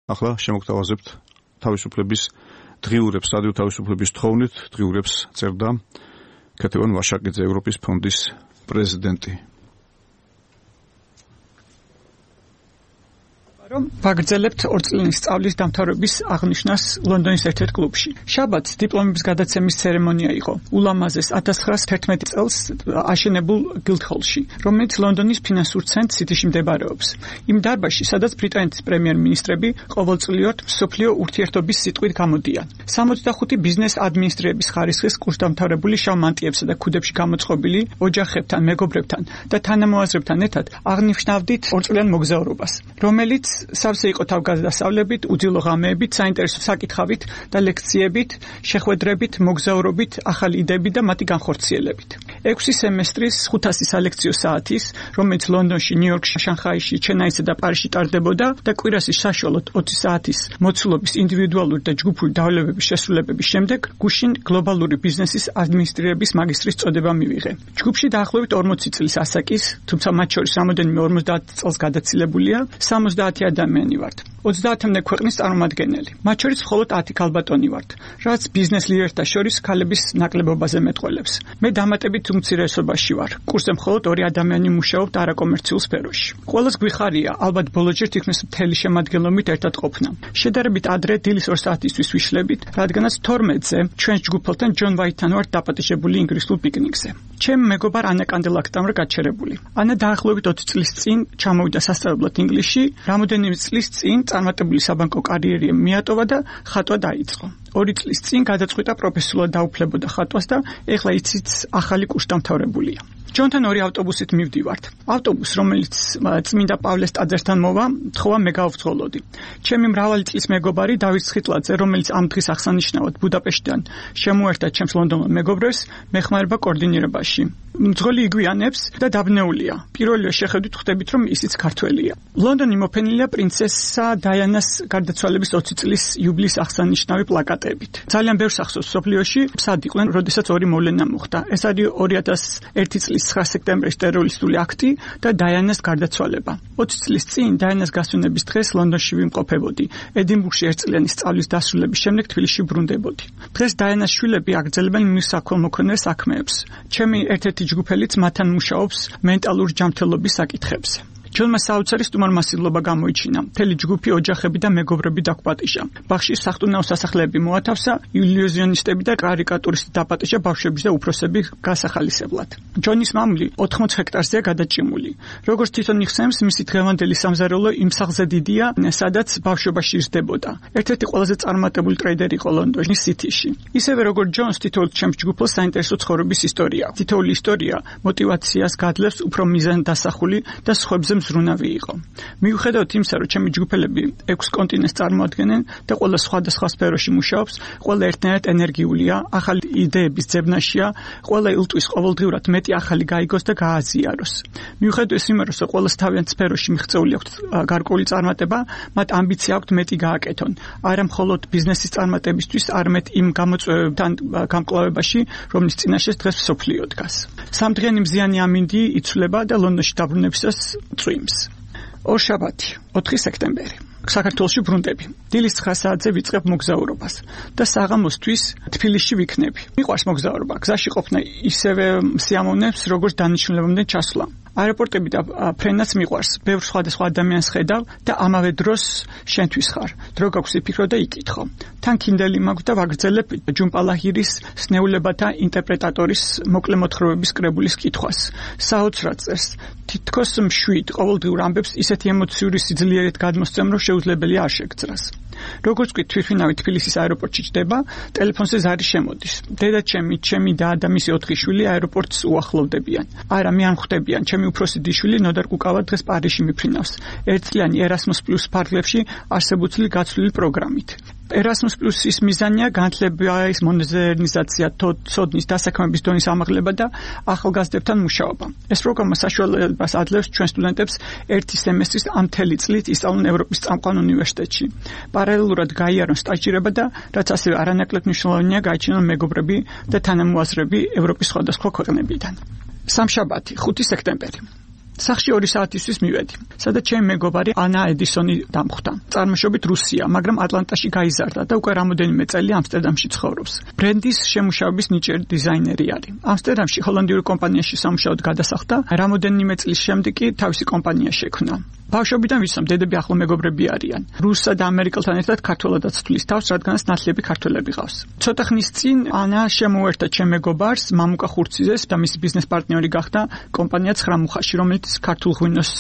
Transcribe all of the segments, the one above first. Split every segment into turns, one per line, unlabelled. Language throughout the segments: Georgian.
ახლა შემოგთავაზებთ თავისუფლების დღიურებს, რადიო თავისუფლების თხოვნით დღიურებს წერდა ქეთევან ვაშაკიძე, ევროპის ფონდის პრეზიდენტი.
ვაგრძელებთ 2 წლიანი სწავლის დამთავრების აღნიშვნას ლონდონის ერთ-ერთ კლუბში. შაბათს დიპლომების გადაცემის ცერემონია იყო ულამაზეს 1911 წელს აშენებულ გილდჰოლში, რომელიც ლონდონის ფინანსურ ცენტრ სიტიში მდებარეობს. იმ დარბაზში, სადაც ბრიტანეთის პრემიერ-მინისტრები ყოველწლიურად მსოფლიო ურთიერთობის სიტყვით გამოდიან. 65 ბიზნეს ადმინისტრირების ხარისხის კურსდამთავრებული შავ მანტიებსა და ქუდებში გამოწყობილი ოჯახებთან, მეგობრებთან და თანამოაზრებთან ერთად აღნიშნავდით 2 წლიან მოგზაურობას, რომელიც სავსე იყო თავგადასავლებით, უძილო ღამეებით, საინტერესო საკითხავით და ლექციებით, შეხვედრებით, მოგზაურობით, ახალი იდეებით და მათი განხორციელებით. 6 სემესტრის 500 სალექციო საათის, რომელიც ლონდონში, ნიუ-იორკში, შანხაიში, ჩენაისსა და პარიზში ტარდებოდა და კვირაში საშუალოდ 20 საათის მოცულობის ინდივიდუალური და ჯგუფური დავალებების შესრულებების შემდეგ გუშინ გლობალური ბიზნესის ადმინისტრირების მაგისტრის წოდება მივიღე. ჯგუფში დაახლოებით 40 წლის ასაკის, თუმცა მათ შორის რამოდენიმე 50 წელს გადაცილებულია, 70 ადამიანი ვართ. 30-მდე ქვეყნის წარმომადგენელი. მათ შორის მხოლოდ 10 ქალბატონი ვართ, რაც ბიზნეს ლიდერთა შორის ქალების ნაკლებობაზე მეტყველებს. მე დამატებით უმცირესობაში ვარ. კურსზე მხოლოდ 2 ადამიანი მუშაობთ არაკომერციულ სფეროში. ყველას გვიხარია, ალბათ ბოლოჯერ თითქმის მთელი შემადგენლობით ერთად ყოფნა. შედარებით ადრე დილის 2 საათისთვის ვიშლებით, რადგანაც 12-ზე ჩვენს ჯგუფელთან ჯონ ვაიტთან ვართ დაპატიჟებული ინგლისურ პიკნიკზე. ჩემ მეგობარ ანა კანდელაკთან ვარ გაჩერებული. ანა დაახლოებით 20 წლის წინ ჩამოვიდა სასწავლებლად ინგლისში, რამოდენიმე წლის წინ წარმატებული საბანკო კარიერი მიატოვა და ხატვა დაიწყო. 2 წლის წინ გადაწყვიტა პროფესიულად დაუფლებოდა ხატვას და ეხლა იცით ახალი კურსდამთავრებულია. ჯონთან 2 ავტობუსით მივდივართ. ავტობუსს, რომელიც წმინდა პავლეს ტაძართან მოვა, თხოვა მე გავვძღოლოდი. ჩემი მრავალი წლის მეგობარი დავით სხიტლაძე, რომელიც ამ დღის აღსანიშნავად ბუდაპეშტიდან შემოერთა ჩემს ლონდონელ მეგობრებს მეხმარება კოორდინირებაში. მძღოლი იგვიანებს და დაბნეულია. პირველივე შეხედვით ხვდებით, რომ ისიც ქართველია. ლონდონი მოფენილია პრინცესა დაიანას გარდაცვალების 20 წლის იუბილეის აღსანიშნავი პლაკატებით. ძალიან ბევრს ახსოვს სოფლიოში, სად იყვნენ, როდესაც 2 მოვლენა მოხდა. ეს არის 2001 წლის 9 სექტემბრის ტერორისტული აქტი და დაიანას გარდაცვალება. 20 წლის წინ დაიანას გასვენების დღეს ლონდონში ვიმყოფებოდი. ედინბურგში 1 წლიანი სწავლის დასრულების შემდეგ თბილისში ბრუნდებოდი. დღეს დაიანას შვილები აგრძელებენ მისაქველმოქმედნე საქმეებს. ჩემი ერთ-ერთი ჯგუფელიც მათთან მუშაობს მენტალური ჯანმრთელობის საკითხებზე. ჯონმა საოცარი სტუმარმასილობა გამოიჩინა. მთელი ჯგუფი, ოჯახები და მეგობრები დაგვპატიჟა. ბაღში სახტუნაო სასახლეები მოათავსა, ილუზიონისტები და კარიკატურისტი დაპატიჟა ბავშვების და უფროსების გასახალისებლად. ჯონის მამული 80 ჰექტარზეა გადაჭიმული. როგორც თვითონ იხსენებს, მისი დღევანდელი სამზარეულო იმ სახლზე დიდია, სადაც ბავშვობაში იზრდებოდა. ერთ-ერთი ყველაზე წარმატებული ტრეიდერი იყო ლონდონის სიტიში. ისევე როგორც ჯონს, თითოეულ ჩემს ჯგუფელს საინტერესო ცხოვრების ისტორია. თითოეული ისტორია მოტივაციას გადლევს უფრო მიზანდასახული და სხვებზე მზრუნავი იყო. მიუხედავად იმისა, რომ ჩემი ჯგუფელები 6 კონტინენტს წარმოადგენენ და ყველა სხვადასხვა სფეროში მუშაობს, ყველა ერთნაირად ენერგიულია, ახალი იდეების ძებნაშია, ყველა ილტვის ყოველდღიურად მეტი ახალი გაიგოს და გააზიაროს. მიუხედავად იმისა, რომ ყველას თავიანთ სფეროში მიღწეული აქვთ გარკვეული წარმატება, მათ ამბიცია აქვთ მეტი გააკეთონ. არა მხოლოდ ბიზნესის წარმატებისთვის, არამედ იმ გამოწვევებთან გამკლავებაში, რომლის წინაშეც დღეს მსოფლიო დგას. სამდღიანი მზიანი ამინდი იცვლება და ლონდონში დაბრუნებისას წვიმს. ორშაბათი, 4 სექტემბერი. საქართველოში ბრუნდები. დილის 9 საათზე ვიწყებ მოგზაურობას და საღამოსთვის თბილისში ვიქნები. მიყვარს მოგზაურობა. გზაში ყოფნა ისევე სიამოვნებს, როგორც დანიშნულებამდე ჩასვლა. აეროპორტები და ფრენაც მიყვარს. ბევრ სხვადასხვა ადამიანს ხედავ და ამავე დროს შენთვის ხარ. დრო გაქვს იფიქრო და იკითხო. თან კინდელი მაქვს და ვაგრძელებ ჯუმპალაჰირის სნეულებათა ინტერპრეტატორის მოკლე მოთხრობების კრებულის კითხვას. საოცრად წერს. თითქოს მშვიდ ყოველდღიურ ამბებს ისეთი ემოციური სიძლიერით გადმოსცემ, რომ შეუძლებელია არ შეგძრას. როგორც კი თვითმფრინავი თბილისის აეროპორტში ჯდება, ტელეფონზე ზარი შემოდის. დედაჩემი, ჩემი და და მისი 4 შვილი აეროპორტს უახლოვდებიან. არა, მე არ ხვდებიან. ჩემი უფროსი დიშვილი ნოდარ კუკავა დღეს პარიზში მიფრინავს. 1 წლიანი Erasmus+ ფარგლებში არსებუთლი გაცვლილი პროგრამით. Erasmus Plus-ის მიზანია განათლების მოდერნიზაცია, ცოდნის დასაქმების დონის ამაღლება და ახალგაზრდებთან მუშაობა. ეს პროგრამა საშუალებას ადლევს ჩვენ სტუდენტებს 1 სემესტრის ამ მთელი წლით ისწავლონ ევროპის წამყვან უნივერსიტეტში. პარალელურად გაიარონ სტაჟირება და რაც ასევე არანაკლებ მნიშვნელოვანია გაიჩინონ მეგობრები და თანამოაზრები ევროპის სხვადასხვა ქვეყნებიდან. სამშაბათი, 5 სექტემბერი. სახში 2 საათისთვის მივედი, სადაც ჩემი მეგობარი ანა ედისონი დამხვდა. წარმოშობით რუსია, მაგრამ ატლანტაში გაიზარდა და უკვე რამოდენიმე წელი ამსტერდამში ცხოვრობს. ბრენდის შემუშავების ნიჭიერი დიზაინერი არის. ამსტერდამში ჰოლანდიურ კომპანიაში სამუშაოდ გადასახლდა, რამოდენიმე წლის შემდეგ კი თავისი კომპანია შექმნა. ბავშვობიდან ვიცნობ, დედები ახლო მეგობრები არიან. რუსსა და ამერიკელთან ერთად ქართველადაც თვლის თავს, რადგანაც ნათლები ქართველები ყავს. ცოტა ხნის წინ ანა შემოერთა ჩემ მეგობარს, მამუკა ხურციძეს და მისი ბიზნეს პარტნიორი გახდა კომპანია 9 მუხაში, რომელიც ქართულ ღვინოს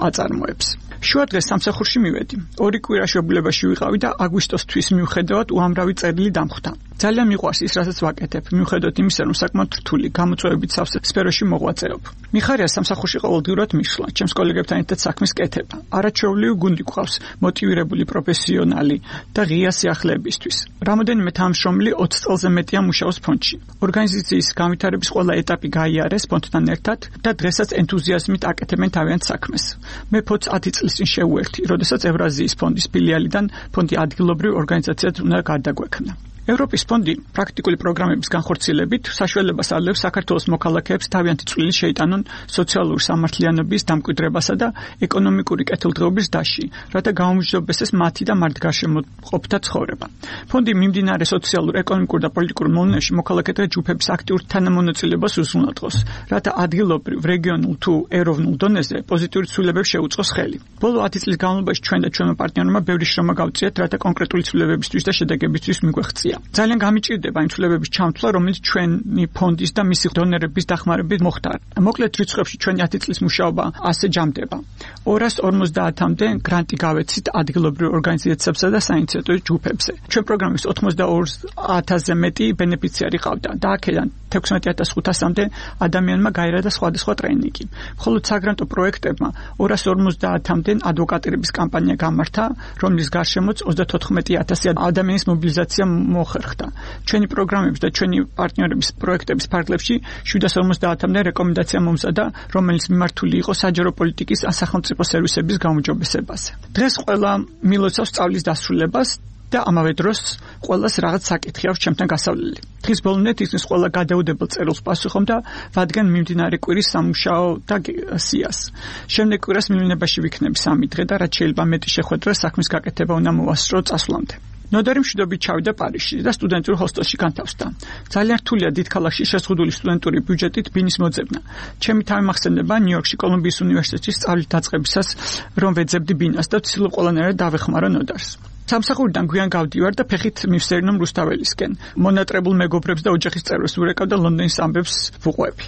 აწარმოებს. შუა დღეს სამსახურში მივედი. 2 კვირა შვებულებაში ვიყავი და აგვისტოს თვის მიუხედავად უამრავი წერილი დამხვდა. ძალიან მიყვარს ის, რასაც ვაკეთებ, მიუხედავად იმისა, რომ საკმაოდ რთული, გამოწვევებით სავსე სფეროში მოღვაწეობ. მიხარია სამსახურში ყოველდღიურად მისვლა, ჩემს კოლეგებთან ერთად საქმის კეთება. არაჩვეულივი გუნდი გვყავს, მოტივირებული პროფესიონალი და ღია სიახლეებისთვის. რამოდენიმე თანამშრომელი 20 წელზე მეტია მუშაობს ფონდში. ორგანიზაციის განვითარების ყველა ეტაპი გაიარეს ფონდთან ერთად და დღესაც ენთუზიაზმით აკეთებენ თავიანთ საქმეს. მე ფონდს 10 წლის წინ შევუერთდი, როდესაც ევრაზიის ფონდის ფილიალიდან ფონდი ადგილობრივ ორგანიზაციად უნდა გარდაგვექმნა. ევროპის ფონდი პრაქტიკული პროგრამების განხორციელებით საშუალებას აძლევს საქართველოს მოქალაქეებს თავიანთი წვლილი შეიტანონ სოციალური სამართლიანობის დამკვიდრებასა და ეკონომიკური კეთილდღეობის დასში, რათა გაუმჯობესდეს მათი და მართგარშემო ყოფთა ცხოვრება. ფონდი მიმდინარე სოციალურ, ეკონომიკურ და პოლიტიკურ მოვლენებში მოქალაქეთა ჯგუფების აქტიურ თანამონაწილეობას უზრუნველყოფს, რათა ადგილობრივ, რეგიონულ თუ ეროვნულ დონეზე პოზიტიური ცვლილებებს შეუწყოს ხელი. ბოლო 10 წლის განმავლობაში ჩვენ და ჩვენმა პარტნიორებმა ბევრი შრომა გავწიეთ, რათა კონკრეტული ცვლილებებისთვის და შედეგებისთვის მიგვეღწია. ძალიან გამიჭირდება იმ ცვლილებების ჩამთვლა, რომელიც ჩვენი ფონდის და მისი დონორების დახმარებით მოხდა. მოკლედ რიცხვებში ჩვენი 10 წლის მუშაობა ასე ჯამდება. 250-მდე გრანტი გავეცით ადგილობრივ ორგანიზაციებსა და საინიციატივო ჯგუფებზე. ჩვენ პროგრამის 82,000-ზე მეტი ბენეფიციარი ყავდა და აქედან 16,500-მდე ადამიანმა გაირადა სხვადასხვა ტრეინინგი. მხოლოდ საგრანტო პროექტებმა 250-მდე ადვოკატირების კამპანია გამართა, რომლის გარშემოც 34,000 ადამიანის მობილიზაცია მოხერხდა. ჩვენი პროგრამების და ჩვენი პარტნიორების პროექტების ფარგლებში 750-მდე რეკომენდაცია მომზადა, რომელიც მიმართული იყო საჯარო პოლიტიკის ან სახელმწიფო სერვისების გაუმჯობესებაზე. დღეს ყველა მილოცავს სწავლის დასრულებას და ამავე დროს ყველას რაღაც საკითხი აქვს ჩემთან გასავლელი. დღის ბოლომდე თითქმის ყველა გადაუდებელ წერილს პასუხობდა, რადგან მიმდინარე კვირის სამუშაო და სიას. შემდეგ კვირას მივლინებაში ვიქნები 3 დღე და რაც შეიძლება მეტი შეხვედრა საქმის გაკეთება უნდა მოვასწრო წასვლამდე. ნოდარი მშვიდობით ჩავიდა პარიზში და სტუდენტურ ჰოსტელში განთავსდა. ძალიან რთულია დიდ ქალაქში შეზღუდული სტუდენტური ბიუჯეტით ბინის მოძებნა. ჩემი თავი მახსენდება ნიუ-იორკში კოლუმბიის უნივერსიტეტში სწავლის დაწყებისას, რომ ვეძებდი ბინას და ვცდილობ ყველანაირად დავეხმარო ნოდარს. სამსახურიდან გვიან გავდივარ და ფეხით მივსერნო რუსთაველისკენ. მონატრებულ მეგობრებს და ოჯახის წევრებს ვურეკავ და ლონდონის ამბებს ვუყვები.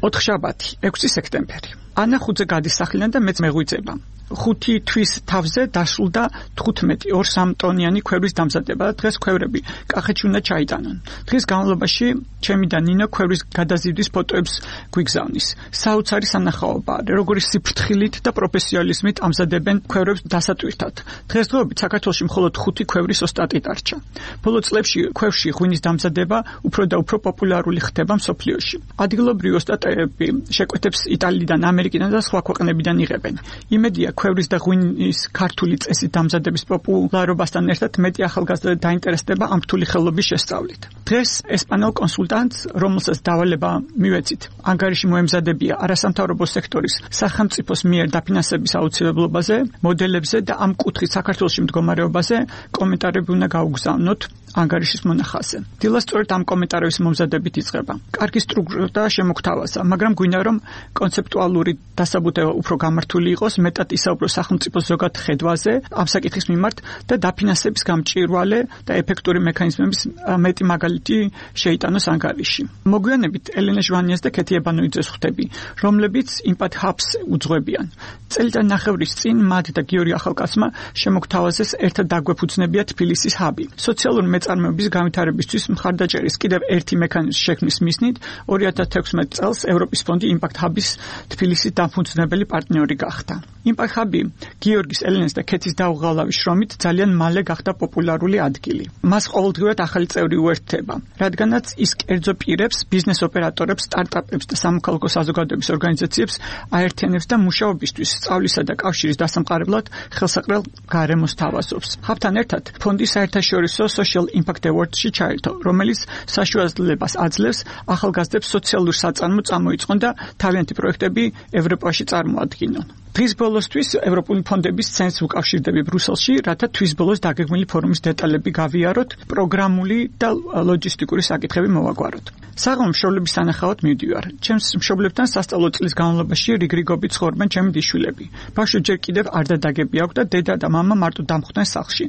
4 შაბათი, 6 სექტემბერი. ანა 5-ზე გადის სახლიდან და მეც მეღვიძება. 5 თვის თავზე დასრულდა 15 2-3 ტონიანი ქვევრის დამზადება და დღეს ქვევრები კახეთში უნდა ჩაიტანონ. დღის განმავლობაში ჩემი და ნინო ქვევრის გადაზიდვის ფოტოებს გვიგზავნის. საოცარი სანახაობა, როგორი სიფრთხილით და პროფესიონალიზმით ამზადებენ ქვევრებს დასატვირთად. დღესდღეობით საქართველოში მხოლოდ 5 ქვევრის ოსტატი დარჩა. ბოლო წლებში ქვევში ღვინის დამზადება უფრო და უფრო პოპულარული ხდება მსოფლიოში. ადგილობრივი ოსტატები შეკვეთებს იტალიიდან, ამერიკიდან და სხვა ქვეყნებიდან იღებენ. იმედია ქვევრის და ღვინის ქართული წესით დამზადების პოპულარობასთან ერთად მეტი ახალგაზრდა დაინტერესდება ამ რთული ხელობის შესწავლით. დღეს ესპანელ კონსულტანტს, რომელსაც დავალება მივეცით, ანგარიში მოემზადებია არასამთავრობო სექტორის სახელმწიფოს მიერ დაფინანსების აუცილებლობაზე, მოდელებზე და ამ კუთხით საქართველოში მდგომარეობაზე კომენტარები უნდა გაუგზავნოთ ანგარიშის მონახაზზე. დილას სწორედ ამ კომენტარების მომზადებით იწყება. კარგი სტრუქტურა შემოგთავაზა, მაგრამ გვინდა რომ კონცეპტუალური დასაბუთება უფრო გამართული იყოს, მეტად ისაუბროს სახელმწიფოს ზოგად ხედვაზე ამ საკითხის მიმართ და დაფინანსების გამჭვირვალე და ეფექტური მექანიზმების მეტი მაგალითი შეიტანოს ანგარიში. მოგვიანებით ელენე ჟვანიას და ქეთი ებანოიძეს ხვდები, რომლებიც იმპათ ჰაბს უძღვებიან. წელიწადნახევრის წინ მათ და გიორგი ახალკაცმა შემოგთავაზეს ერთად დაგვეფუძნებია თბილისის ჰაბი. სოციალური მეწარმეობის განვითარებისთვის მხარდაჭერის კიდევ ერთი მექანიზმის შექმნის მიზნით 2016 წელს ევროპის ფონდი იმპაქტ ჰაბის თბილისის დამფუძნებელი პარტნიორი გახდა. იმპაქტ ჰაბი გიორგის, ელენეს და ქეთის დაუღალავი შრომით ძალიან მალე გახდა პოპულარული ადგილი. მას ყოველდღიურად ახალი წევრი უერთდება, რადგანაც ის კერძო პირებს, ბიზნეს ოპერატორებს, სტარტაპებს და სამოქალაქო საზოგადოების ორგანიზაციებს აერთიანებს და მუშაობისთვის, სწავლისა და კავშირის დასამყარებლად ხელსაყრელ გარემოს თავაზობს. ჰაბთან ერთად ფონდი საერთაშორისო Social Impact Award-ში ჩაერთო, რომელიც საშუალებას აძლევს ახალგაზრდებს სოციალურ საწარმო წამოიწყონ და თავიანთი პროექტები ევროპაში წარმოადგინონ. დღის ბოლოსთვის ევროპული ფონდების ცენტრს უკავშირდები ბრუსელში, რათა თვის ბოლოს დაგეგმილი ფორუმის დეტალები გავიაროთ, პროგრამული და ლოჯისტიკური საკითხები მოვაგვაროთ. საღამო მშობლების სანახავად მივდივარ. ჩემს მშობლებთან სასწავლო წლის განმავლობაში რიგრიგობით ცხოვრობენ ჩემი დიშვილები. ბავშვი ჯერ კიდევ არ დადაგები აქვს და დედა და მამა მარტო დამხვდნენ სახლში.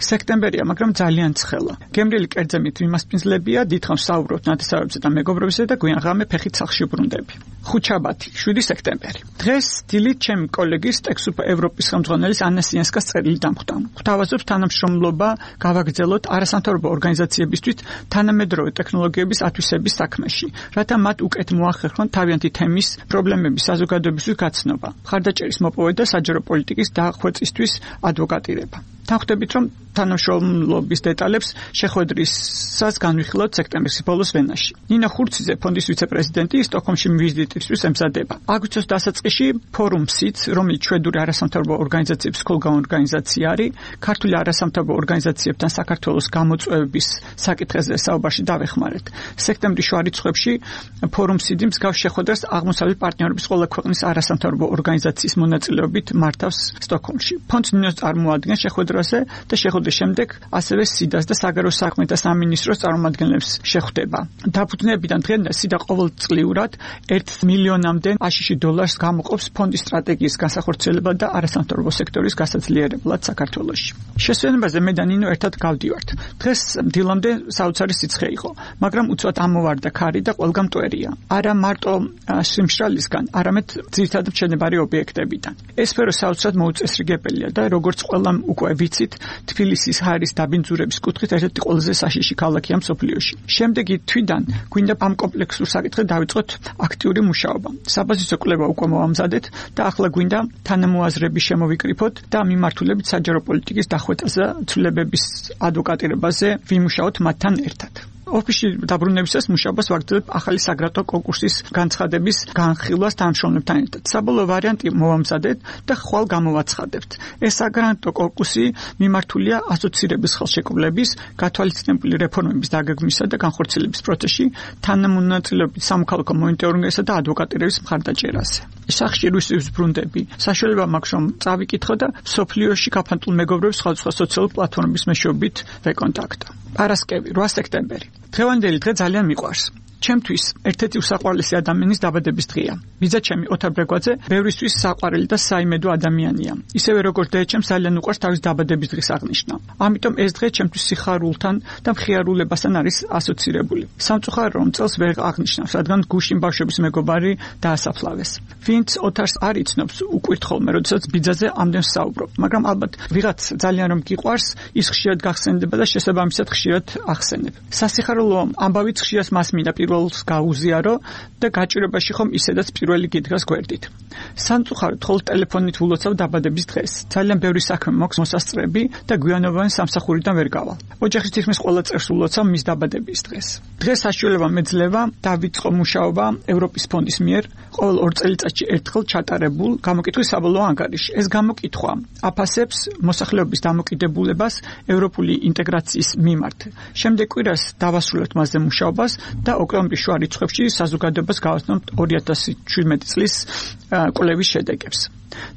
სექტემბერია, მაგრამ ძალიან ცხელა. გემრიელი კერძემით ვიმასპინძლებია, დიდხანს საუბრობთ ნათესავებზე და მეგობრებებზე და გვიან ღამე ფეხით სახლში ვბრუნდები. ხუთშაბათი, 7 სექტემბერი. დღეს დილით ჩემი კოლეგის ტექსტ ევროპის ხელმძღვანელის ანა სიანსკას წერილი დამხვდა. გვთავაზობს თანამშრომლობა გავაგრძელოთ არასამთავრობო ორგანიზაციებისთვის თანამედროვე ტექნოლოგიების ათვისების საქმეში, რათა მათ უკეთ მოახერხონ თავიანთი თემის პრობლემების საზოგადოებისთვის გაცნობა, მხარდაჭერის მოპოვება და საჯარო პოლიტიკის დახვეწისთვის ადვოკატირება. თანხმდებით, რომ თანამშრომლობის დეტალებს შეხვედრისას განვიხილოთ სექტემბრის ბოლოს ვენაში. ნინო ხურციძე, ფონდის ვიცე-პრეზიდენტი, სტოკჰოლმში ვიზიტისთვის ემზადება. აგვისტოს დასაწყისში ფორუმსიც, რომელიც შვედური არასამთავრობო ორგანიზაციების ხოლგან ორგანიზაცია არის, ქართული არასამთავრობო ორგანიზაციებთან საქართველოს გამოწვევების საკითხებზე საუბარში დავეხმარეთ. სექტემბრის შუა რიცხვებში ფორუმსიდი მსგავს შეხვედრას აღმოსავლეთ პარტნიორობის ყველა ქვეყნის არასამთავრობო ორგანიზაციის მონაწილეობით მართავს სტოკჰოლმში. ფონდს ნინოს წარმოადგენს შეხვედრაზე და შეხვედრის შემდეგ ასევე სიდას და საგარეო საქმეთა სამინისტროს წარმომადგენლებს შეხვდება. დაფუძნებიდან დღემდე სიდა ყოველწლიურად 1 მილიონამდე აშშ დოლარს გამოყოფს ფონდის სტრატეგიის განსახორციელებლად და არასამთავრობო სექტორის გასაძლიერებლად საქართველოში. შესვენებაზე მე და ნინო ერთად გავდივართ. დღეს დილამდე საოცარი სიცხე იყო, მაგრამ უცბად ამოვარდა ქარი და ყველგან მტვერია. არა მარტო სიმშრალისგან, არამედ ძირითადად მშენებარე ობიექტებიდან. ეს სფერო საოცრად მოუწესრიგებელია და როგორც ყველამ უკვე ვიცით, თბილისის ჰაერის დაბინძურების კუთხით ერთ-ერთი ყველაზე საშიში ქალაქია მსოფლიოში. შემდეგი თვიდან გვინდა ამ კომპლექსურ საკითხზე დავიწყოთ აქტიური მუშაობა. საბაზისო კვლევა უკვე მოვამზადეთ და ახლა გვინდა თანამოაზრების შემოვიკრიფოთ და მიმართულებით საჯარო პოლიტიკის დახვეწაზე, ცვლილებების ადვოკატირებაზე ვიმუშაოთ მათთან ერთად. ოფისში დაბრუნებისას მუშაობას ვაგრძელებ ახალი საგრანტო კონკურსის განცხადების განხილვას თანამშრომლებთან ერთად. საბოლოო ვარიანტი მოვამზადეთ და ხვალ გამოვაცხადებთ. ეს საგრანტო კონკურსი მიმართულია ასოცირების ხელშეკრულების, გათვალისწინებული რეფორმების დაგეგმვისა და განხორციელების პროცესში, თანამონაწილეობით სამოქალაქო მონიტორინგისა და ადვოკატირების მხარდაჭერაზე. სახში რუსეთის ბრუნდები. საშუალება მაქვს რომ წავიკითხო და სოფლიოში გაფანტულ მეგობრებს სხვადასხვა სოციალური პლატფორმების მეშვეობით ვეკონტაქტო. პარასკევი, 8 სექტემბერი. დღევანდელი დღე ძალიან მიყვარს. ჩემთვის ერთ-ერთი უსაყვარლესი ადამიანის დაბადების დღეა. ბიძაჩემი ოთარ ბრეგვაძე ბევრისთვის საყვარელი და საიმედო ადამიანია. ისევე როგორც დედაჩემს ძალიან უყვარს თავის დაბადების დღის აღნიშვნა. ამიტომ ეს დღე ჩემთვის სიხარულთან და მხიარულებასთან არის ასოცირებული. სამწუხარო რომ წელს ვერ აღნიშნავს, რადგან გუშინ ბავშვების მეგობარი დაასაფლავეს. ვინც ოთარს არ იცნობს, უკვირთ ხოლმე, როდესაც ბიძაზე ამდენს საუბრობ, მაგრამ ალბათ ვიღაც ძალიან რომ გიყვარს, ის ხშირად გახსენდება და შესაბამისად ხშირად ახსენებ. სასიხარულო ამბავიც ხშირად მას მინდა პირველს გაუზიარო და გაჭირებაში ხომ ისედაც პირველი გიდგას გვერდით. სამწუხაროდ ხოლმე ტელეფონით ვლოცავ დაბადების დღეს. ძალიან ბევრი საქმე მაქვს მოსასწრები და გვიანობანი სამსახურიდან ვერ გავალ. ოჯახის თითქმის ყველა წევრს ვლოცავ მის დაბადების დღეს. დღეს საშუალება მეძლევა დავიწყო მუშაობა ევროპის ფონდის მიერ ყოველ 2 წელიწადში ერთხელ ჩატარებულ გამოკითხვის საბოლოო ანგარიში. ეს გამოკითხვა აფასებს მოსახლეობის დამოკიდებულებას ევროპული ინტეგრაციის მიმართ. შემდეგ კვირას დავასრულებთ მასზე მუშაობას და ოქტომბრის შუა რიცხვებში საზოგადოებას გავაცნობთ 2017 წლის კვლევის შედეგებს.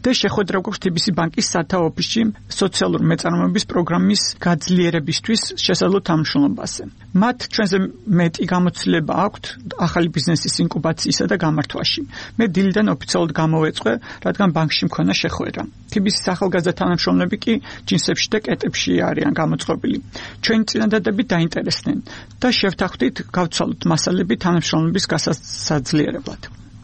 და შეხვედრა გვაქვს TBC ბანკის სათავო ოფისში სოციალური მეწარმოების პროგრამის გაძლიერებისთვის შესაძლო თანამშრომლობაზე. მათ ჩვენზე მეტი გამოცდილება აქვთ ახალი ბიზნესის ინკუბაციისა და გამართვაში. მე დილიდან ოფიციალურად გამოვეწყვე, რადგან ბანკში მქონა შეხვედრა. TBC-ის ახალგაზრდა თანამშრომლები კი ჯინსებში და კეტებში არიან გამოწყობილი. ჩვენი წინადადებით დაინტერესდნენ და შევთანხმდით გავცვალოთ მასალები თანამშრომლობის გასაძლიერებლად.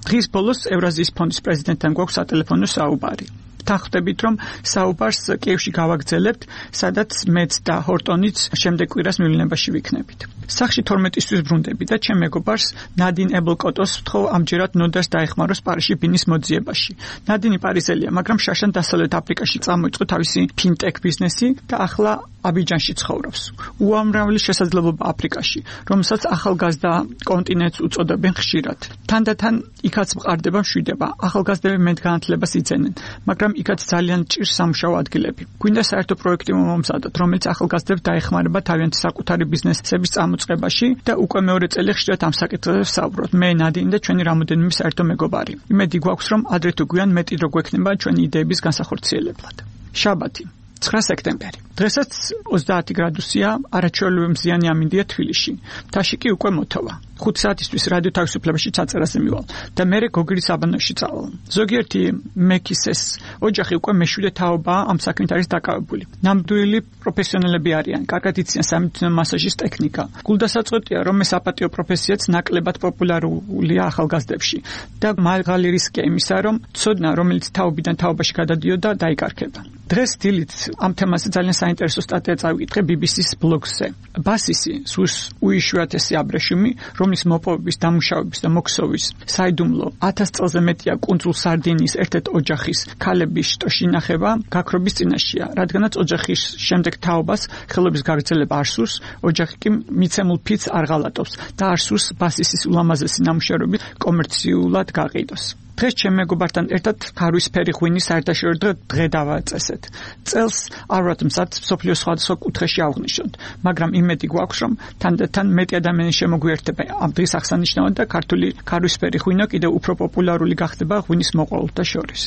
დღის ბოლოს ევრაზიის ფონდის პრეზიდენტთან გვაქვს სატელეფონო საუბარი. თანხმდებით რომ საუბარს კიევში გავაგრძელებთ, სადაც მეც და ჰორტონიც შემდეგ კვირას მივლინებაში ვიქნებით. სახში 12-ისთვის ბრუნდები და ჩემ მეგობარს ნადინ ებლკოტოს ვთხოვ ამჯერად ნოდარს დაეხმაროს პარიზში ბინის მოძიებაში. ნადინი პარიზელია, მაგრამ შაშან დასავლეთ აფრიკაში წამოიწყო თავისი ფინტექ ბიზნესი და ახლა აბიჯანში ცხოვრობს. უამრავი შესაძლებლობა აფრიკაში, რომელსაც ახალგაზრდა კონტინენტს უწოდებენ ხშირად. თანდათან იქაც მყარდება მშვიდება, ახალგაზრდები მეტგანათლებას იძენენ, მაგრამ იქაც ძალიან ჭირს სამუშაო ადგილები. გვინდა საერთო პროექტი მომზადოთ, რომელიც ახალგაზრდებს დაეხმარება თავიანთი საკუთარი ბიზნესების წამოწყებაში და უკვე მეორე წელი ხშირად ამ საკითხებზე ვსაუბრობთ. მე ნადინი და ჩვენი რამოდენიმე საერთო მეგობარი. იმედი გვაქვს, რომ ადრე თუ გვიან მეტი დრო გვექნება ჩვენი იდეების განსახორციელებლად. შაბათი 9 სექტემბერი. დღესაც 30 გრადუსია, არაჩვეულებრივი მზიანი ამინდია თბილისში. მთაში კი უკვე მოთოვა. 5 საათისთვის რადიო თავისუფლებაში ჩაწერაზე მივალ და მერე გოგირის აბანოში წავალ. ზოგიერთი მექისეს ოჯახი უკვე მეშვიდე თაობაა ამ საქმით არის დაკავებული. ნამდვილი პროფესიონალები არიან, კარგად იციან სამედიცინო მასაჟის ტექნიკა. გულდასაწყვეტია, რომ ეს საპატიო პროფესიაც ნაკლებად პოპულარულია ახალგაზრდებში და მაღალი რისკია იმისა, რომ ცოდნა, რომელიც თაობიდან თაობაში გადადიოდა, დაიკარგება. დღეს დილით ამ თემაზე ძალიან საინტერესო სტატია წავიკითხე BBC-ს ბლოგზე. ბასისი სულს უიშვიათესი აბრეშუმი, რომლის მოპოვების, დამუშავების და მოქსოვის საიდუმლო 1000 წელზე მეტია კუნძულ სარდინიის ერთ-ერთ ოჯახის ქალების შტოში ინახება გაქრობის წინაშეა, რადგანაც ოჯახის შემდეგ თაობას ხელობის გაგრძელება არ სურს, ოჯახი კი მიცემულ ფიცს არ ღალატობს და არ სურს ბასისის ულამაზესი ნამუშევრები კომერციულად გაყიდოს. დღეს ჩემ მეგობართან ერთად ქარვისფერი ღვინის საერთაშორისო დღე დავაწესეთ. წელს არ ვართ მზად მსოფლიოს სხვადასხვა კუთხეში ავღნიშნოთ, მაგრამ იმედი გვაქვს, რომ თანდათან მეტი ადამიანი შემოგვიერთება ამ დღის აღსანიშნავად და ქართული ქარვისფერი ღვინო კიდევ უფრო პოპულარული გახდება ღვინის მოყვარულთა შორის.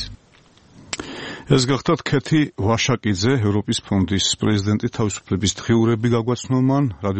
ეს გახდათ ქეთი ვაშაკიძე, ევროპის ფონდის პრეზიდენტი, თავისუფლების დღიურები გაგვაცნო მან.